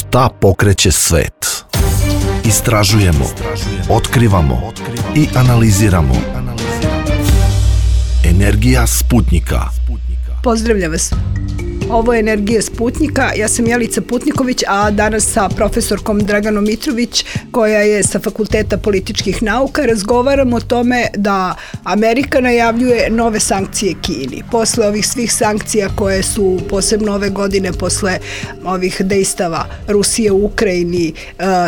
Šta pokreće svet? Istražujemo, otkrivamo i analiziramo. Energija Sputnjika. Pozdravljam vas. Ovo je Energija Sputnjika. Ja sam Jelica Putniković, a danas sa profesorkom Draganom Mitrović, koja je sa Fakulteta političkih nauka, razgovaramo o tome da Amerika najavljuje nove sankcije Kini. Posle ovih svih sankcija koje su posebno ove godine, posle ovih dejstava Rusije u Ukrajini,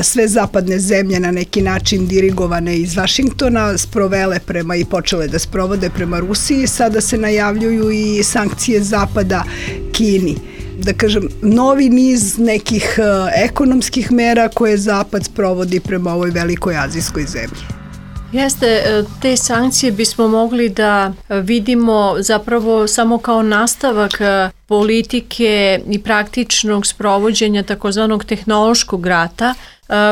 sve zapadne zemlje na neki način dirigovane iz Vašingtona sprovele prema i počele da sprovode prema Rusiji. Sada se najavljuju i sankcije zapada Kini. Da kažem, novi niz nekih ekonomskih mera koje Zapad sprovodi prema ovoj velikoj azijskoj zemlji. Jeste, te sankcije bismo mogli da vidimo zapravo samo kao nastavak politike i praktičnog sprovođenja takozvanog tehnološkog rata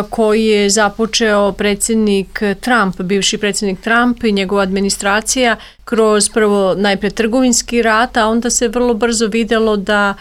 koji je započeo predsjednik Trump, bivši predsjednik Trump i njegova administracija kroz prvo najpre trgovinski rat, a onda se vrlo brzo videlo da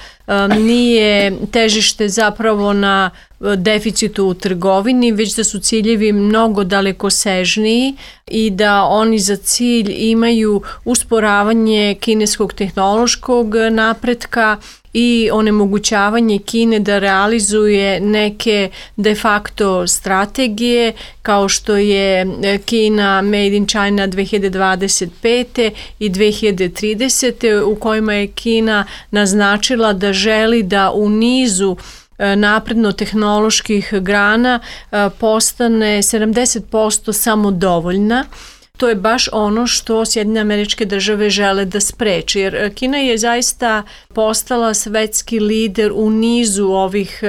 nije težište zapravo na deficitu u trgovini, već da su ciljevi mnogo dalekosežniji i da oni za cilj imaju usporavanje kineskog tehnološkog napretka i onemogućavanje Kine da realizuje neke de facto strategije kao što je Kina Made in China 2025. i 2030. u kojima je Kina naznačila da želi da u nizu napredno-tehnoloških grana postane 70% samodovoljna. To je baš ono što Sjedinjene Američke Države žele da spreči, jer Kina je zaista postala svetski lider u nizu ovih,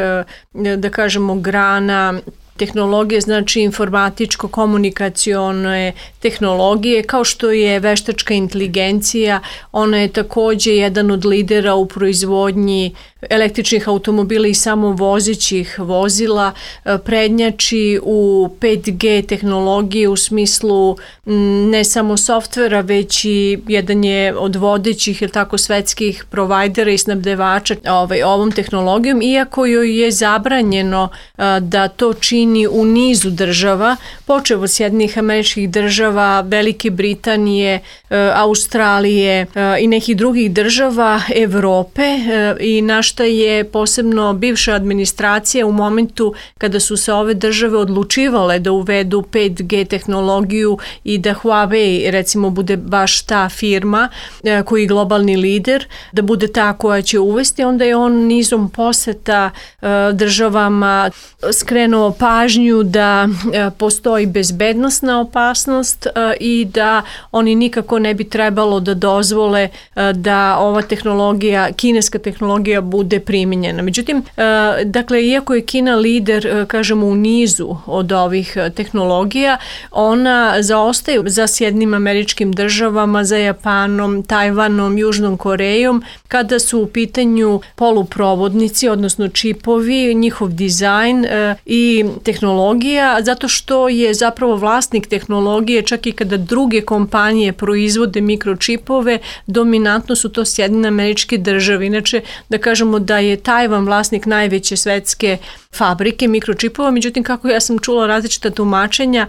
da kažemo, grana tehnologije, znači informatičko-komunikacione tehnologije, kao što je veštačka inteligencija. Ona je također jedan od lidera u proizvodnji električnih automobila i samovozećih vozila, prednjači u 5G tehnologiji u smislu ne samo softvera, već i jedan je od vodećih svetskih provajdera i snabdevača ovom tehnologijom, iako joj je zabranjeno da to čini u nizu država, počev od Sjedinjenih Američkih Država, Velike Britanije, Australije i nekih drugih država Evrope, i na šta je posebno bivša administracija u momentu kada su se ove države odlučivale da uvedu 5G tehnologiju i da Huawei recimo bude baš ta firma koji je globalni lider, da bude ta koja će uvesti, onda je on nizom poseta državama skrenuo pažnju da postoji bezbednosna opasnost i da oni nikako ne bi trebalo da dozvole da ova tehnologija, kineska tehnologija, bude primijenjena. Međutim, dakle, iako je Kina lider, kažemo, u nizu od ovih tehnologija, ona zaostaje za Sjedinjenim Američkim Državama, za Japanom, Tajvanom, Južnom Korejom, kada su u pitanju poluprovodnici, odnosno čipovi, njihov dizajn i tehnologija, zato što je zapravo vlasnik tehnologije, čak i kada druge kompanije proizvode mikročipove, dominantno su to Sjedinjene Američke Države. Inače, da kažemo da je Tajvan vlasnik najveće svetske fabrike mikročipova, međutim, kako ja sam čula različita tumačenja,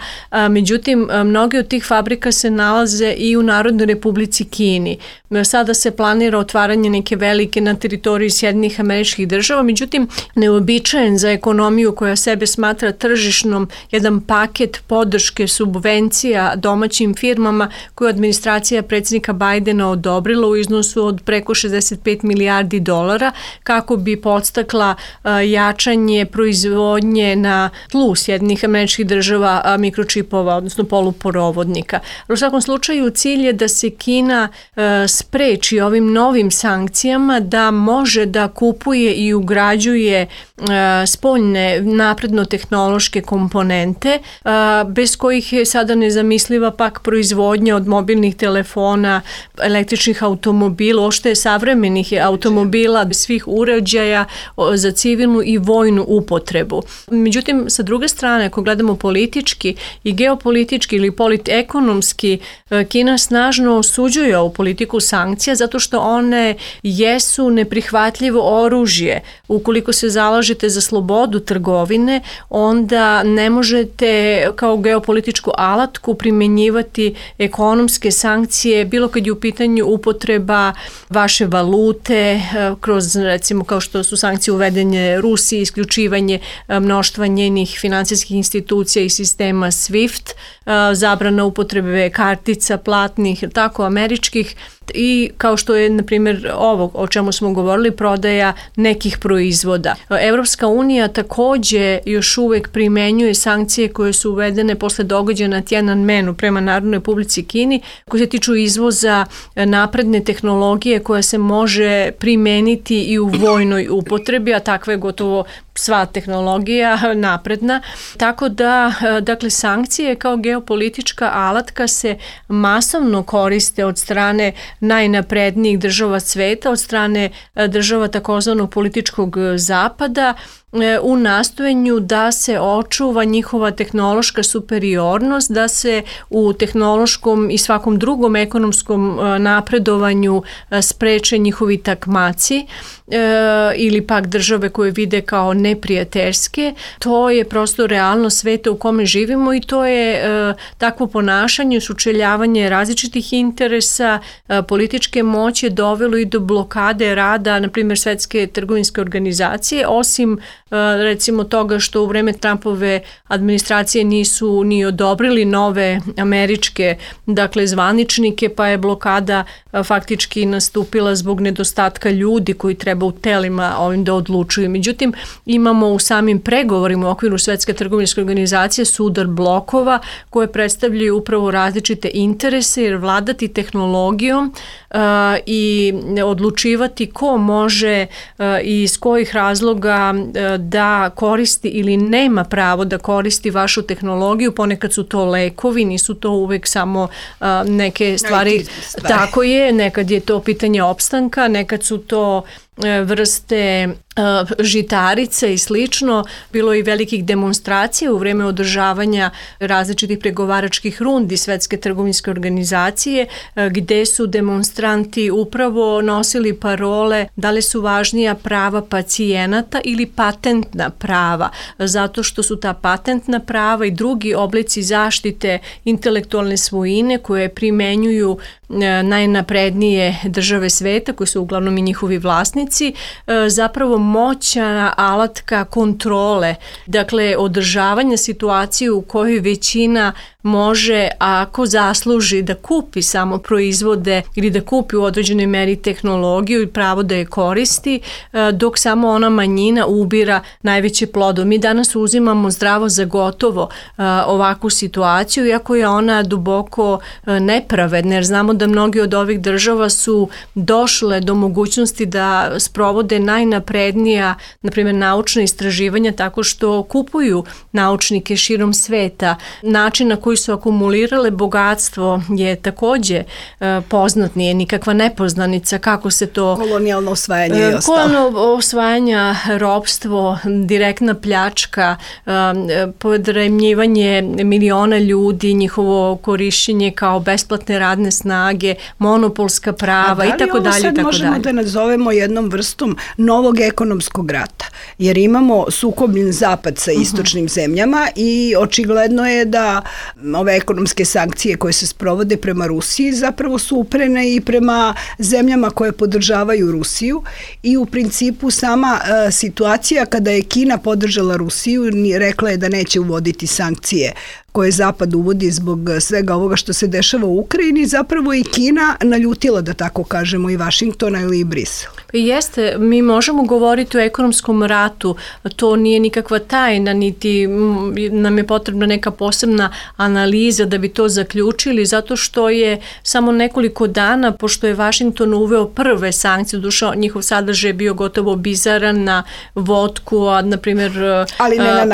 međutim, mnoge od tih fabrika se nalaze i u Narodnoj Republici Kini. Sada se planira otvaranje neke velike na teritoriji Sjedinjenih Američkih Država, međutim, neobičajen za ekonomiju koja sebe smatra tržišnom, jedan paket podrške subvencija domaćim firmama koju administracija predsjednika Bajdena odobrila u iznosu od preko 65 milijardi dolara kako bi podstakla jačanje proizvodnje na tlu Sjedinjenih Američkih Država mikročipova, odnosno poluporovodnika. U svakom slučaju cilj je da se Kina spreči ovim novim sankcijama da može da kupuje i ugrađuje spoljne napredno-tehnološke komponente, bez kojih je sada nezamisliva pak proizvodnja od mobilnih telefona, električnih automobila, savremenih automobila, svih uređaja za civilnu i vojnu upotrebu. Međutim, sa druge strane, ako gledamo politički i geopolitički ili politekonomski, Kina snažno osuđuje ovu politiku sankcija zato što one jesu neprihvatljivo oružje. Ukoliko se zalažete za slobodu trgovine, onda ne možete kao geopolitičku alatku primjenjivati ekonomske sankcije, bilo kad je u pitanju upotreba vaše valute, kroz recimo kao što su sankcije uvedenje Rusiji, isključivanje mnoštva njenih finansijskih institucija i sistema SWIFT, zabrana upotrebe kartica platnih, tako američkih, i kao što je, na primjer, ovo o čemu smo govorili, prodaja nekih proizvoda. Evropska unija takođe još uvek primenjuje sankcije koje su uvedene posle događaja na Tiananmenu prema Narodnoj Republici Kini, koje se tiču izvoza napredne tehnologije koja se može primeniti i u vojnoj upotrebi, a takva je gotovo sva tehnologija napredna. Tako da, dakle, sankcije kao geopolitička alatka se masovno koriste od strane najnaprednijih država sveta, od strane država takozvanog političkog zapada, u nastojenju da se očuva njihova tehnološka superiornost, da se u tehnološkom i svakom drugom ekonomskom napredovanju spreče njihovi takmaci ili pak države koje vide kao neprijateljske. To je prosto realnost sveta u kome živimo i to je takvo ponašanje, sučeljavanje različitih interesa, političke moći dovelo i do blokade rada, na primjer, Svetske trgovinske organizacije, osim recimo toga što u vreme Trumpove administracije nisu ni odobrili nove američke, dakle, zvaničnike, pa je blokada faktički nastupila zbog nedostatka ljudi koji treba u telima ovim da odlučuju. Međutim, imamo u samim pregovorima u okviru Svetske trgovinske organizacije sudar blokova koje predstavljaju upravo različite interese, jer vladati tehnologijom i odlučivati ko može i iz kojih razloga da koristi ili nema pravo da koristi vašu tehnologiju, ponekad su to lekovi, nisu to uvek samo neke stvari. Tako je, nekad je to pitanje opstanka, nekad su to vrste žitarica i slično. Bilo je i velikih demonstracija u vreme održavanja različitih pregovaračkih rundi Svetske trgovinske organizacije, gde su demonstranti upravo nosili parole da li su važnija prava pacijenata ili patentna prava, zato što su ta patentna prava i drugi oblici zaštite intelektualne svojine koje primenjuju najnaprednije države sveta, koji su uglavnom i njihovi vlasnici, zapravo moćna alatka kontrole, dakle održavanja situacije u kojoj većina može, ako zasluži, da kupi samo proizvode ili da kupi u određenoj meri tehnologiju i pravo da je koristi, dok samo ona manjina ubira najveće plodove. Mi danas uzimamo zdravo za gotovo ovakvu situaciju, iako je ona duboko nepravedna, jer znamo da mnogi od ovih država su došle do mogućnosti da sprovode najnaprednija, na primjer, naučna istraživanja tako što kupuju naučnike širom sveta. Način na koji su akumulirale bogatstvo je takođe poznat, nije nikakva nepoznanica kako se to... Kolonijalno osvajanje je ostalo. Kolonijalno osvajanja, ropstvo, direktna pljačka, podremljivanje miliona ljudi, njihovo korišćenje kao besplatne radne snage, monopolska prava i tako dalje. Sad možemo da nazovemo jednom vrstom novog ekonomskog rata, jer imamo sukobljen zapad sa istočnim zemljama i očigledno je da ove ekonomske sankcije koje se sprovode prema Rusiji zapravo su uprene i prema zemljama koje podržavaju Rusiju i u principu sama situacija kada je Kina podržala Rusiju, rekla je da neće uvoditi sankcije koje Zapad uvodi zbog svega ovoga što se dešava u Ukrajini, zapravo i Kina naljutila, da tako kažemo, i Vašingtona ili i Brisel. Jeste, mi možemo govoriti o ekonomskom ratu, to nije nikakva tajna, niti nam je potrebna neka posebna analiza da bi to zaključili, zato što je samo nekoliko dana, pošto je Vašington uveo prve sankcije, duša njihov sadržaj je bio gotovo bizaran na vodku, a na primjer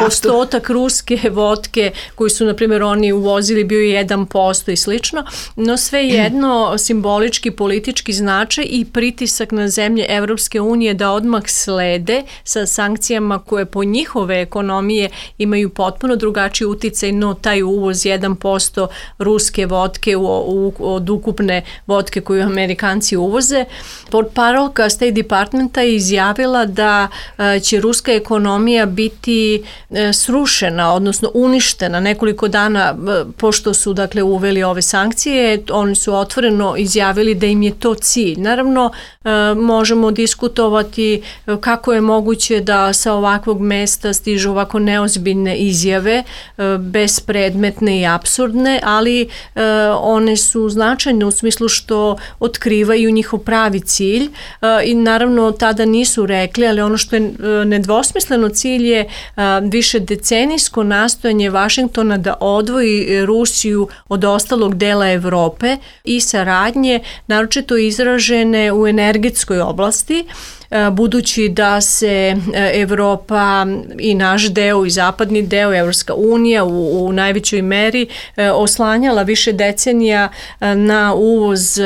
postotak ruske vodke koji su na primjer oni uvozili bio je 1% i slično, no svejedno simbolički, politički značaj i pritisak na zemlje Evropske unije da odmah slede sa sankcijama koje po njihove ekonomije imaju potpuno drugačiji uticaj, no taj uvoz 1% ruske vodke od ukupne vodke koju Amerikanci uvoze. Portparolka State Departmenta je izjavila da će ruska ekonomija biti srušena, odnosno uništena nekoliko dana pošto su dakle uveli ove sankcije. Oni su otvoreno izjavili da im je to cilj. Naravno, možemo diskutovati kako je moguće da sa ovakvog mesta stižu ovako neozbiljne izjave, bespredmetne i apsurdne, ali one su značajne u smislu što otkrivaju njihov pravi cilj i naravno tada nisu rekli, ali ono što je nedvosmisleno cilj je više decenijsko nastojanje Vašingtona da odvoji Rusiju od ostalog dela Evrope i saradnje, naročito izražene u energetskoj oblasti, budući da se Evropa i naš deo i zapadni deo, Evropska unija u najvećoj meri oslanjala više decenija na uvoz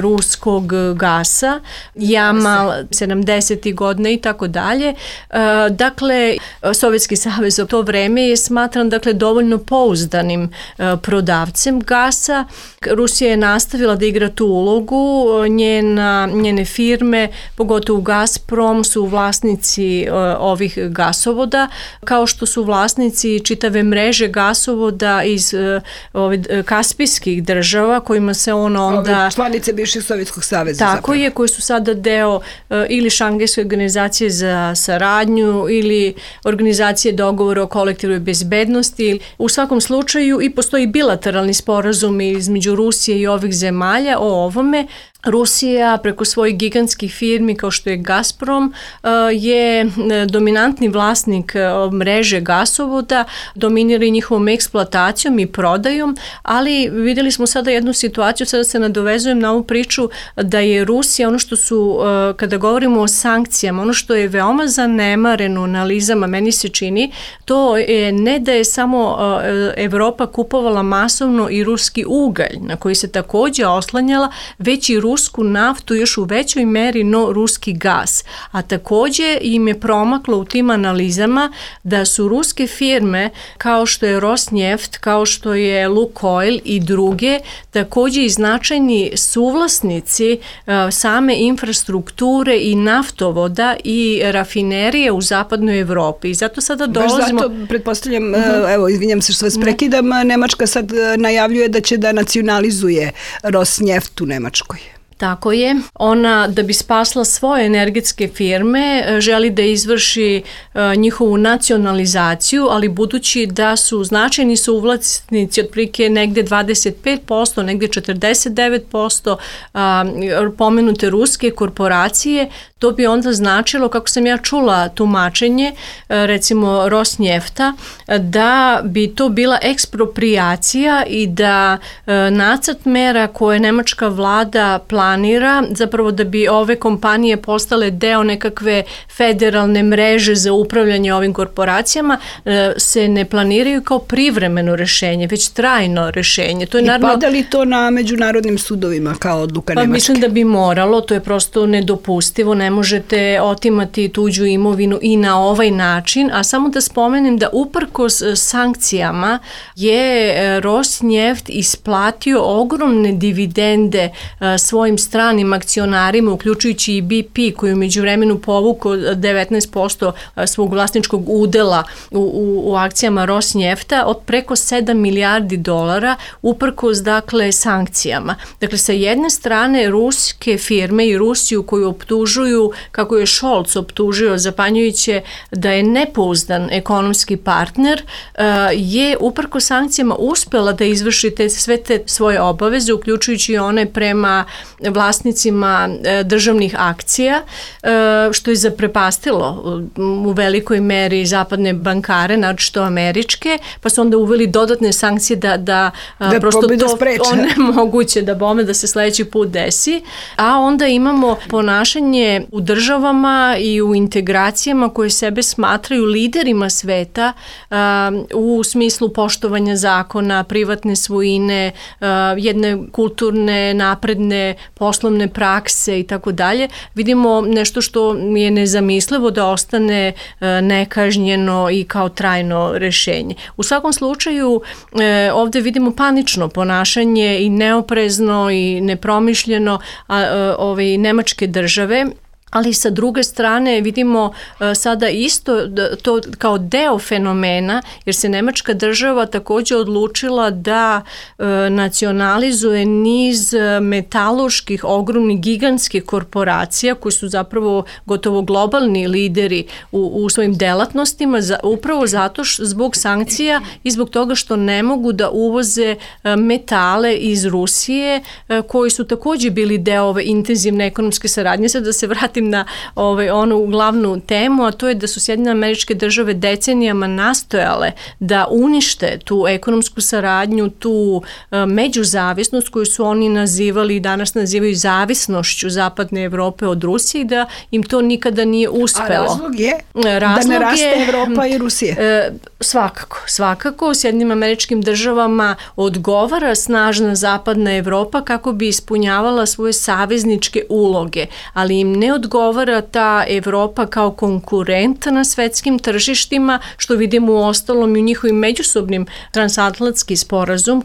ruskog gasa, Jamal 70. godina i tako dalje. Dakle, Sovjetski savez u to vreme je smatran dovoljno pouzdanim prodavcem gasa. Rusija je nastavila da igra tu ulogu, njene firme, pogotovo Gazprom, su vlasnici ovih gasovoda, kao što su vlasnici čitave mreže gasovoda iz kaspijskih država, kojima se onda... Članice bivšeg Sovjetskog saveza. Tako zapravo. Je, koji su sada deo ili Šangajske organizacije za saradnju ili organizacije dogovora o kolektivnoj bezbednosti. U svakom slučaju i postoji bilateralni sporazum između Rusije i ovih zemalja o ovome. Rusija preko svojih gigantskih firmi kao što je Gazprom je dominantni vlasnik mreže gasovoda, dominira i njihovom eksploatacijom i prodajom, ali vidjeli smo sada jednu situaciju, sada se nadovezujem na ovu priču da je Rusija, ono što su, kada govorimo o sankcijama, ono što je veoma zanemareno u analizama, meni se čini, to je ne da je samo Evropa kupovala masovno i ruski ugalj, na koji se također oslanjala, već i rusku naftu još u većoj meri, no ruski gas. A također im je promaklo u tim analizama da su ruske firme kao što je Rosneft, kao što je Lukoil i druge također i značajni suvlasnici same infrastrukture i naftovoda i rafinerije u zapadnoj Evropi. I zato sada dolazimo... Baš zato pretpostavljam, evo, izvinjam se što vas prekidam, Nemačka sad najavljuje da će da nacionalizuje Rosneft u Nemačkoj. Tako je. Ona, da bi spasla svoje energetske firme, želi da izvrši njihovu nacionalizaciju, ali budući da su značajni suvlasnici otprilike negde 25%, negde 49% pomenute ruske korporacije, to bi onda značilo, kako sam ja čula tumačenje, recimo Rosnefta, da bi to bila ekspropriacija i da nacrt mera koje nemačka vlada planira, zapravo da bi ove kompanije postale deo nekakve federalne mreže za upravljanje ovim korporacijama, se ne planiraju kao privremeno rešenje, već trajno rešenje. To je naravno... pada li to na međunarodnim sudovima kao odluka Nemačke? Mislim da bi moralo, to je prosto nedopustivo, ne možete otimati tuđu imovinu i na ovaj način, a samo da spomenem da uprkos sankcijama je Rosneft isplatio ogromne dividende svojim stranim akcionarima, uključujući i BP, koji u međuvremenu povukao 19% svog vlasničkog udela u akcijama Rosnefta od preko 7 milijardi dolara, uprkos dakle sankcijama. Dakle, sa jedne strane ruske firme i Rusiju koju optužuju, kako je Scholz optužio zapanjujuće da je nepouzdan ekonomski partner, je uprkos sankcijama uspela da izvrši sve te svoje obaveze, uključujući one prema vlasnicima državnih akcija, što je zaprepastilo u velikoj meri zapadne bankare, naročito američke, pa su onda uveli dodatne sankcije da prosto to onemoguće da se sledeći put desi. A onda imamo ponašanje u državama i u integracijama koje sebe smatraju liderima sveta u smislu poštovanja zakona, privatne svojine, jedne kulturne, napredne, poslovne prakse i tako dalje. Vidimo nešto što je nezamislivo da ostane nekažnjeno i kao trajno rešenje. U svakom slučaju ovde vidimo panično ponašanje i neoprezno i nepromišljeno nemačke države, ali sa druge strane vidimo sada isto to kao deo fenomena, jer se nemačka država takođe odlučila da nacionalizuje niz metalurških, ogromnih, gigantskih korporacija koji su zapravo gotovo globalni lideri u svojim delatnostima, upravo zato zbog sankcija i zbog toga što ne mogu da uvoze metale iz Rusije koji su takođe bili deo ove intenzivne ekonomske saradnje. Sad da se vratim na onu glavnu temu, a to je da su Sjedinjene Američke Države decenijama nastojale da unište tu ekonomsku saradnju, tu međuzavisnost koju su oni nazivali i danas nazivaju zavisnošću zapadne Evrope od Rusije i da im to nikada nije uspelo. A razlog je da ne raste Evropa i Rusije? Svakako. U Sjedinjenim Američkim Državama odgovara snažna zapadna Evropa kako bi ispunjavala svoje savezničke uloge, ali im ne odgovara ta Evropa kao konkurent na svetskim tržištima, što vidimo u ostalom i u njihovim međusobnim transatlantski sporazum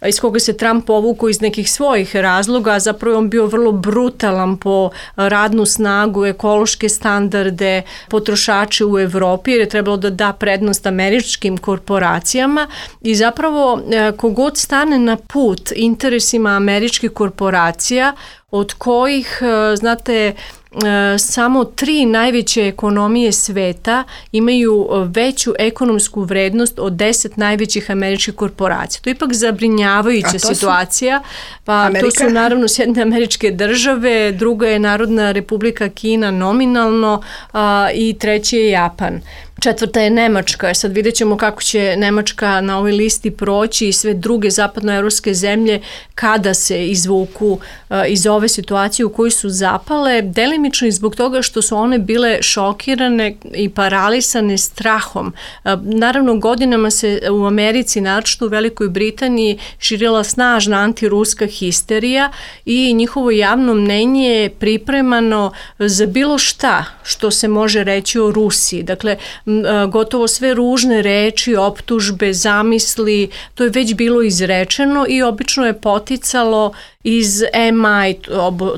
iz koga se Trump povukao iz nekih svojih razloga, a zapravo on bio vrlo brutalan po radnu snagu, ekološke standarde, potrošače u Evropi, jer je trebalo da da prednost američkim korporacijama i zapravo kogod stane na put interesima američkih korporacija, od kojih, znate, samo 3 najveće ekonomije sveta imaju veću ekonomsku vrednost od 10 najvećih američkih korporacija. To je ipak zabrinjavajuća situacija. To su naravno Sjedinjene Američke Države, druga je Narodna Republika Kina nominalno i treći je Japan. 4. je Nemačka. Sad vidjet ćemo kako će Nemačka na ovoj listi proći i sve druge zapadnoevropske zemlje kada se izvuku iz ove situacije u kojoj su zapale, delimično i zbog toga što su one bile šokirane i paralisane strahom. Naravno, godinama se u Americi, naročito u Velikoj Britaniji, širila snažna antiruska histerija i njihovo javno mnenje je pripremano za bilo šta što se može reći o Rusiji. Dakle, gotovo sve ružne reči, optužbe, zamisli, to je već bilo izrečeno i obično je poticalo iz MI,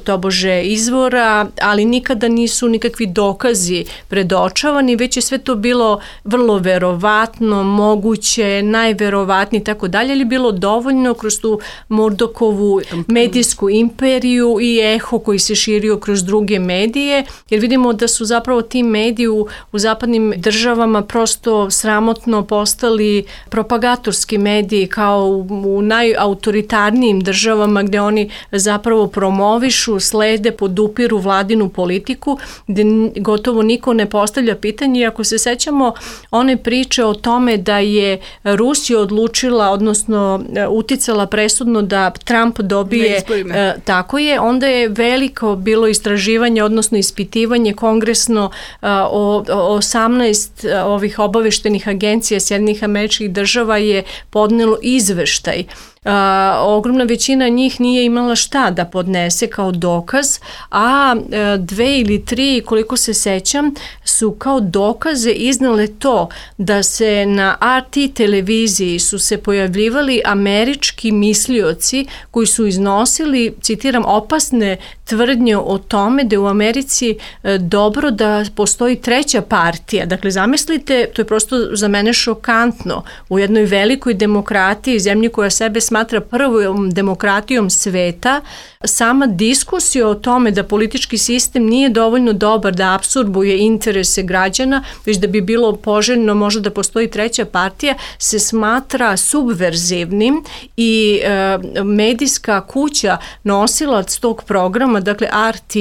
tobože izvora, ali nikada nisu nikakvi dokazi predočavani, već je sve to bilo vrlo verovatno, moguće, najverovatnije i tako dalje, ali bilo dovoljno kroz tu Murdochovu medijsku imperiju i eho koji se širio kroz druge medije, jer vidimo da su zapravo ti mediji u zapadnim državama prosto sramotno postali propagatorski mediji kao u najautoritarnijim državama gde oni zapravo promovišu, slede, podupiru vladinu politiku, gde gotovo niko ne postavlja pitanje. I ako se sećamo one priče o tome da je Rusija odlučila, odnosno uticala presudno da Trump dobije, tako je, onda je veliko bilo istraživanje, odnosno ispitivanje kongresno o 18 ovih obaveštenih agencija Sjedinjenih Američkih Država je podnelo izveštaj. Ogromna većina njih nije imala šta da podnese kao dokaz, a 2 ili 3, koliko se sećam, su kao dokaze iznale to da se na RT televiziji su se pojavljivali američki mislioci koji su iznosili, citiram, opasne tvrdnje o tome da je u Americi dobro da postoji treća partija. Dakle, zamislite, to je prosto za mene šokantno, u jednoj velikoj demokratiji, zemlji koja sebe smatra prvom demokratijom sveta, sama diskusija o tome da politički sistem nije dovoljno dobar da apsorbuje interese građana, već da bi bilo poželjno možda da postoji treća partija, se smatra subverzivnim i medijska kuća, nosilac tog programa, dakle RT,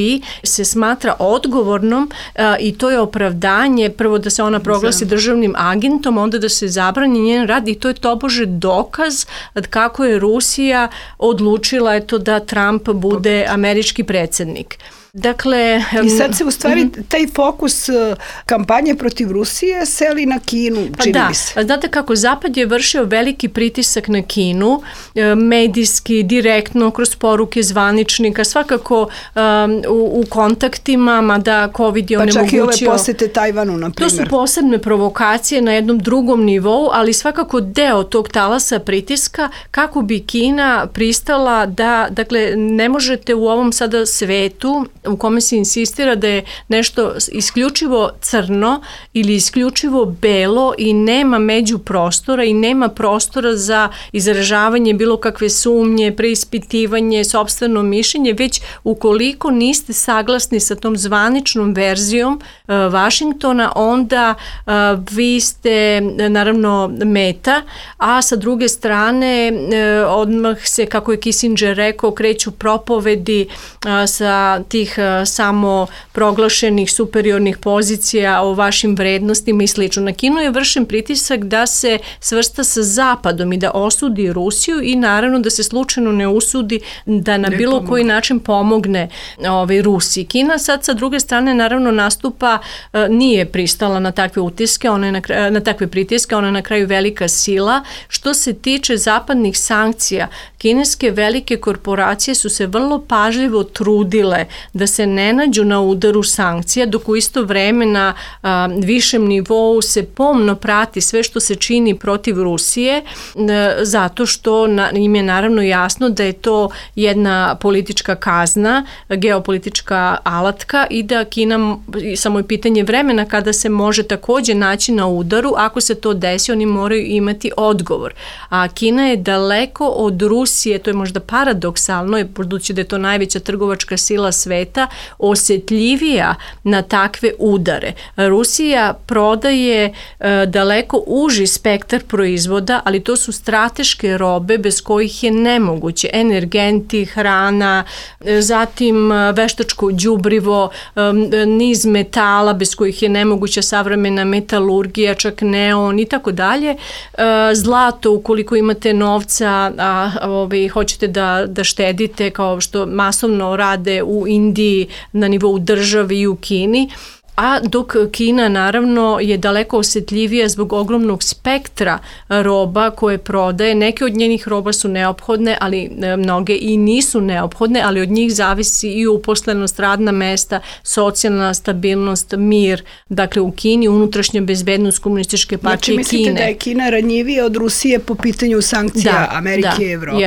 se smatra odgovornom i to je opravdanje, prvo da se ona proglasi državnim agentom, onda da se zabrani njen rad i to je tobože dokaz kako je Rusija odlučila da Trump bude američki predsjednik. Dakle, i sad se u stvari taj fokus kampanje protiv Rusije seli na Kinu, čini mi se. Znate kako, Zapad je vršio veliki pritisak na Kinu, medijski, direktno, kroz poruke zvaničnika, svakako u kontaktima, mada COVID je onemogućio. Pa čak i ove posete Tajvanu, na primjer. To su posebne provokacije na jednom drugom nivou, ali svakako deo tog talasa pritiska kako bi Kina pristala da, dakle, ne možete u ovom sada svetu u kome se insistira da je nešto isključivo crno ili isključivo belo i nema međuprostora i nema prostora za izražavanje bilo kakve sumnje, preispitivanje, sopstveno mišljenje, već ukoliko niste saglasni sa tom zvaničnom verzijom Vašingtona, onda vi ste naravno meta, a sa druge strane odmah se, kako je Kissinger rekao, kreću propovedi sa tih samo proglašenih superiornih pozicija o vašim vrednostima i slično. Na Kinu je vršen pritisak da se svrsta sa Zapadom i da osudi Rusiju i naravno da se slučajno ne usudi da na bilo koji način pomogne Rusiji. Kina sad sa druge strane naravno nastupa, nije pristala na takve utiske, na takve pritiske, ona je na kraju velika sila. Što se tiče zapadnih sankcija, kineske velike korporacije su se vrlo pažljivo trudile da se ne nađu na udaru sankcija, dok u isto vreme na višem nivou se pomno prati sve što se čini protiv Rusije, zato što im je naravno jasno da je to jedna politička kazna, geopolitička alatka i da Kina, samo je pitanje vremena kada se može također naći na udaru, ako se to desi, oni moraju imati odgovor. A Kina je daleko od Rusije, to je možda paradoksalno, budući da je to najveća trgovačka sila sveta, osjetljivija na takve udare. Rusija prodaje daleko uži spektar proizvoda, ali to su strateške robe bez kojih je nemoguće. Energenti, hrana, zatim veštačko đubrivo, niz metala bez kojih je nemoguća savremena metalurgija, čak neon i tako dalje. Zlato, ukoliko imate novca, hoćete da štedite, kao što masovno rade u Indiji, na nivou države i u Kini, a dok Kina naravno je daleko osjetljivija zbog ogromnog spektra roba koje prodaje. Neke od njenih roba su neophodne, ali mnoge i nisu neophodne, ali od njih zavisi i uposlenost, radna mesta, socijalna stabilnost, mir. Dakle, u Kini unutrašnja bezbednost Komunističke partije Kine. Znači, mislite da je Kina ranjivija od Rusije po pitanju sankcija Amerike i Evrope?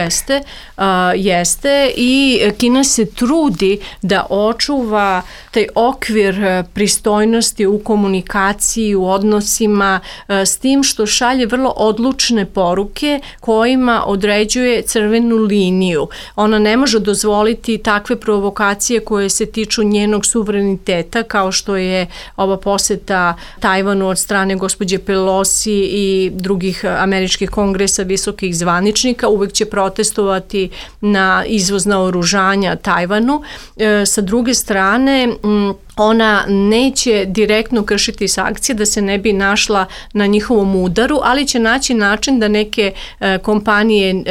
Jeste i Kina se trudi da očuva taj okvir pristojnosti u komunikaciji, u odnosima, s tim što šalje vrlo odlučne poruke kojima određuje crvenu liniju. Ona ne može dozvoliti takve provokacije koje se tiču njenog suvereniteta, kao što je ova poseta Tajvanu od strane gospođe Pelosi i drugih američkih kongresa visokih zvaničnika. Uvek će protestovati na izvoz naoružanja Tajvanu. Sa druge strane, ona neće direktno kršiti sankcije da se ne bi našla na njihovom udaru, ali će naći način da neke kompanije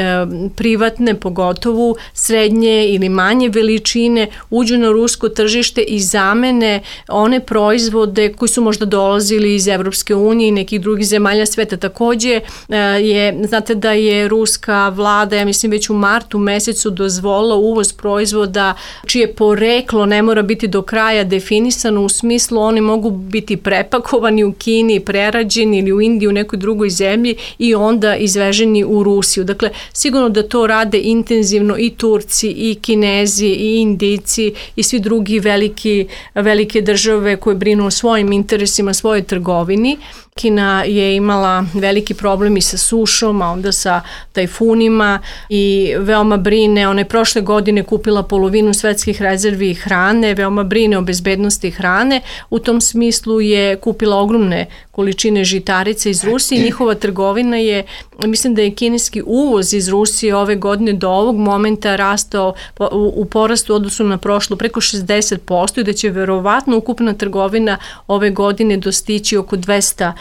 privatne, pogotovo srednje ili manje veličine, uđu na rusko tržište i zamene one proizvode koji su možda dolazili iz Evropske unije i nekih drugih zemalja sveta. Također znate da je ruska vlada, ja mislim već u martu mesecu, dozvolila uvoz proizvoda čije poreklo ne mora biti do kraja definirano, definisano u smislu oni mogu biti prepakovani u Kini, prerađeni ili u Indiji, u nekoj drugoj zemlji i onda izveženi u Rusiju. Dakle, sigurno da to rade intenzivno i Turci, i Kinezi, i Indijci i svi drugi velike države koje brinu o svojim interesima, svojoj trgovini. Kina je imala veliki problem i sa sušom, a onda sa tajfunima i veoma brine. Ona je prošle godine kupila polovinu svetskih rezervi hrane, veoma brine o bezbednosti hrane. U tom smislu je kupila ogromne količine žitarica iz Rusije i njihova trgovina je, mislim da je kineski uvoz iz Rusije ove godine do ovog momenta rastao u porastu odnosu na prošlu preko 60% i da će verovatno ukupna trgovina ove godine dostići oko 200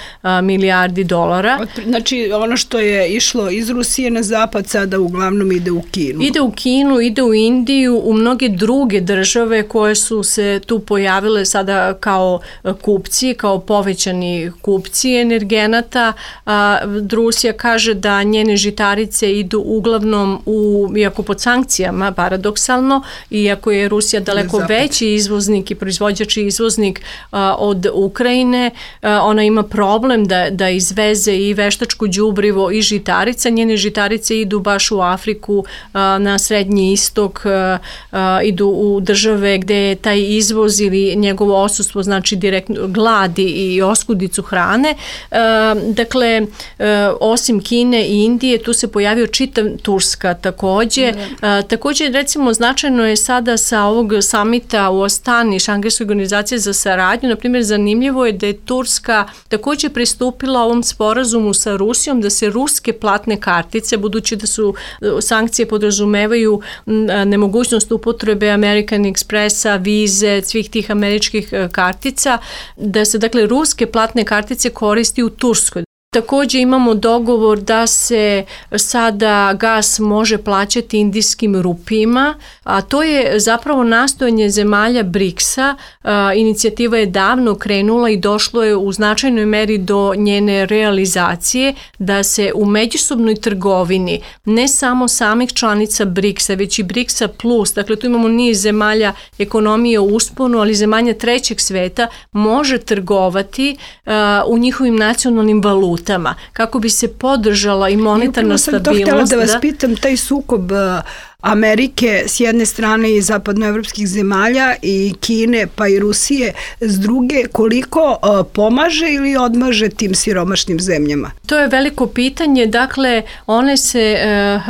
milijardi dolara. Znači ono što je išlo iz Rusije na zapad sada uglavnom ide u Kinu. Ide u Kinu, ide u Indiju, u mnoge druge države koje su se tu pojavile sada kao kupci, kao povećani kupci energenata. Rusija kaže da njene žitarice idu uglavnom iako pod sankcijama, paradoksalno, iako je Rusija daleko veći izvoznik i proizvođač i izvoznik od Ukrajine, ona ima problem da izveze i veštačko đubrivo i žitarica. Njene žitarice idu baš u Afriku, na Srednji istok, idu u države gde je taj izvoz ili njegovo odsustvo znači direktno gladi i oskudicu hrane. Dakle, osim Kine i Indije, tu se pojavio čitav Turska takođe. Takođe, recimo, značajno je sada sa ovog samita u Astani, Šangajske organizacije za saradnju, na primjer, zanimljivo je da je Turska takođe pristupila ovom sporazumu sa Rusijom, da se ruske platne kartice, budući da su sankcije podrazumevaju nemogućnost upotrebe American Expressa, vize, svih tih američkih kartica, da se dakle ruske platne kartice koristi u Turskoj. Takođe imamo dogovor da se sada gas može plaćati indijskim rupijima, a to je zapravo nastojanje zemalja BRICS-a. Inicijativa je davno krenula i došlo je u značajnoj meri do njene realizacije da se u međusobnoj trgovini ne samo samih članica BRICS-a, već i BRICS-a plus, dakle tu imamo niz zemalja ekonomije u usponu, ali zemalja trećeg sveta može trgovati u njihovim nacionalnim valutama kako bi se podržala i monetarna stabilnost. I upravo sam to htjela da vas pitam, taj sukob Amerike s jedne strane i zapadnoevropskih zemalja i Kine pa i Rusije s druge, koliko pomaže ili odmaže tim siromašnim zemljama? To je veliko pitanje, dakle one se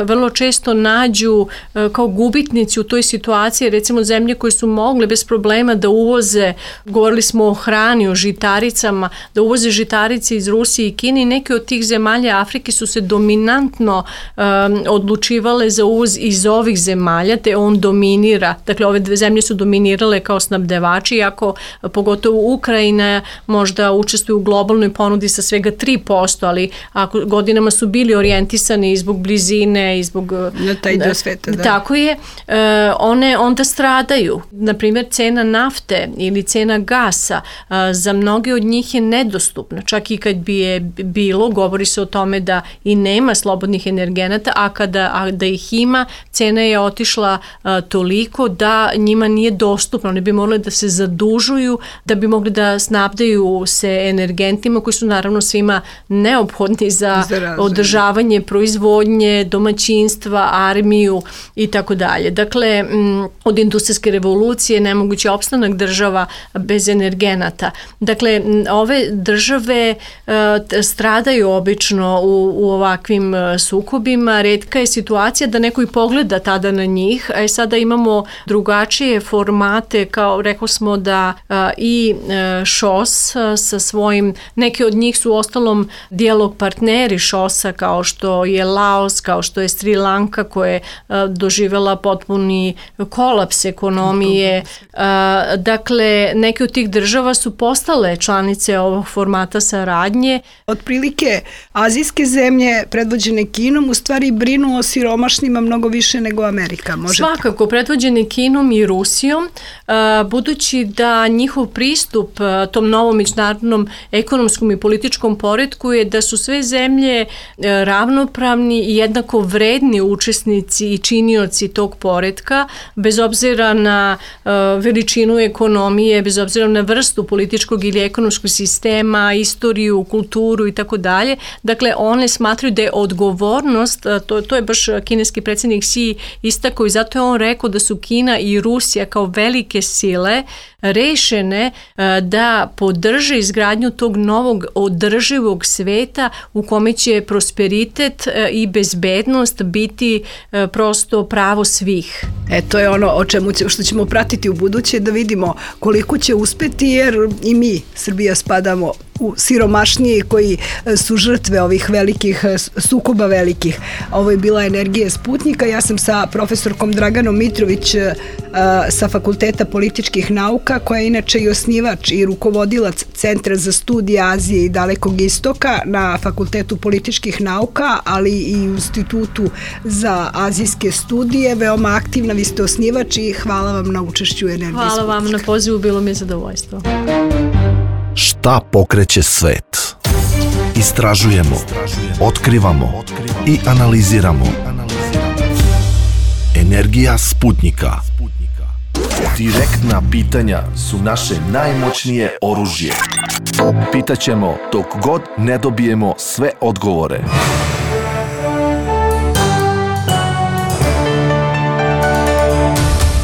vrlo često nađu kao gubitnici u toj situaciji, recimo zemlje koje su mogle bez problema da uvoze, govorili smo o hrani, o žitaricama, da uvoze žitarice iz Rusije i Kine i neke od tih zemalja Afrike su se dominantno odlučivale za uvoz iz ovih zemalja, te on dominira. Dakle, ove dve zemlje su dominirale kao snabdevači, iako pogotovo Ukrajina možda učestvuje u globalnoj ponudi sa svega 3%, ali ako godinama su bili orijentisani i zbog blizine i zbog... Na taj dio sveta, da. Tako je. One onda stradaju. Naprimjer, cena nafte ili cena gasa za mnoge od njih je nedostupna. Čak i kad bi je bilo, govori se o tome da i nema slobodnih energenata, a da ih ima, cena je otišla toliko da njima nije dostupno. Oni bi morali da se zadužuju da bi mogli da snabdaju se energentima koji su naravno svima neophodni za održavanje proizvodnje, domaćinstva, armiju i tako dalje. Dakle, od industrijske revolucije nemogući opstanak država bez energenata. Dakle, ove države stradaju obično u ovakvim sukobima. Retka je situacija da neko i pogleda tada na njih, a sada imamo drugačije formate, kao rekao smo da i ŠOS sa svojim, neke od njih su ostalom dijalog partneri ŠOS-a, kao što je Laos, kao što je Sri Lanka koja je doživjela potpuni kolaps ekonomije. Dakle, neke od tih država su postale članice ovog formata saradnje. Otprilike, azijske zemlje predvođene Kinom u stvari brinu o siromašnima mnogo više nego nego Amerika. Svakako, predvođene Kinom i Rusijom, budući da njihov pristup tom novom međunarodnom ekonomskom i političkom poretku je da su sve zemlje ravnopravni i jednako vredni učesnici i činioci tog poretka, bez obzira na veličinu ekonomije, bez obzira na vrstu političkog ili ekonomskog sistema, istoriju, kulturu i tako dalje. Dakle, one smatraju da je odgovornost, to je baš kineski predsjednik Xi istakao i zato je on rekao da su Kina i Rusija kao velike sile rešene da podrže izgradnju tog novog održivog sveta u kome će prosperitet i bezbednost biti prosto pravo svih. To je ono što ćemo pratiti u buduće, da vidimo koliko će uspeti, jer i mi, Srbija, spadamo u siromašnije koji su žrtve ovih velikih sukoba velikih. Ovo je bila Energija Sputnika. Ja sam sa profesorkom Draganom Mitrović sa Fakulteta političkih nauka, koja je inače i osnivač i rukovodilac Centra za studije Azije i Dalekog istoka na Fakultetu političkih nauka, ali i u Institutu za azijske studije. Veoma aktivna, vi ste osnivač i hvala vam na učešću u Energiji Sputnika. Hvala vam na pozivu, bilo mi je zadovoljstvo. Šta pokreće svet? Istražujemo, otkrivamo i analiziramo. Energija Sputnika. Direktna pitanja su naše najmoćnije oružje. Pitaćemo dok god ne dobijemo sve odgovore.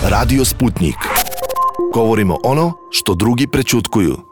Radio Sputnik. Govorimo ono što drugi prećutkuju.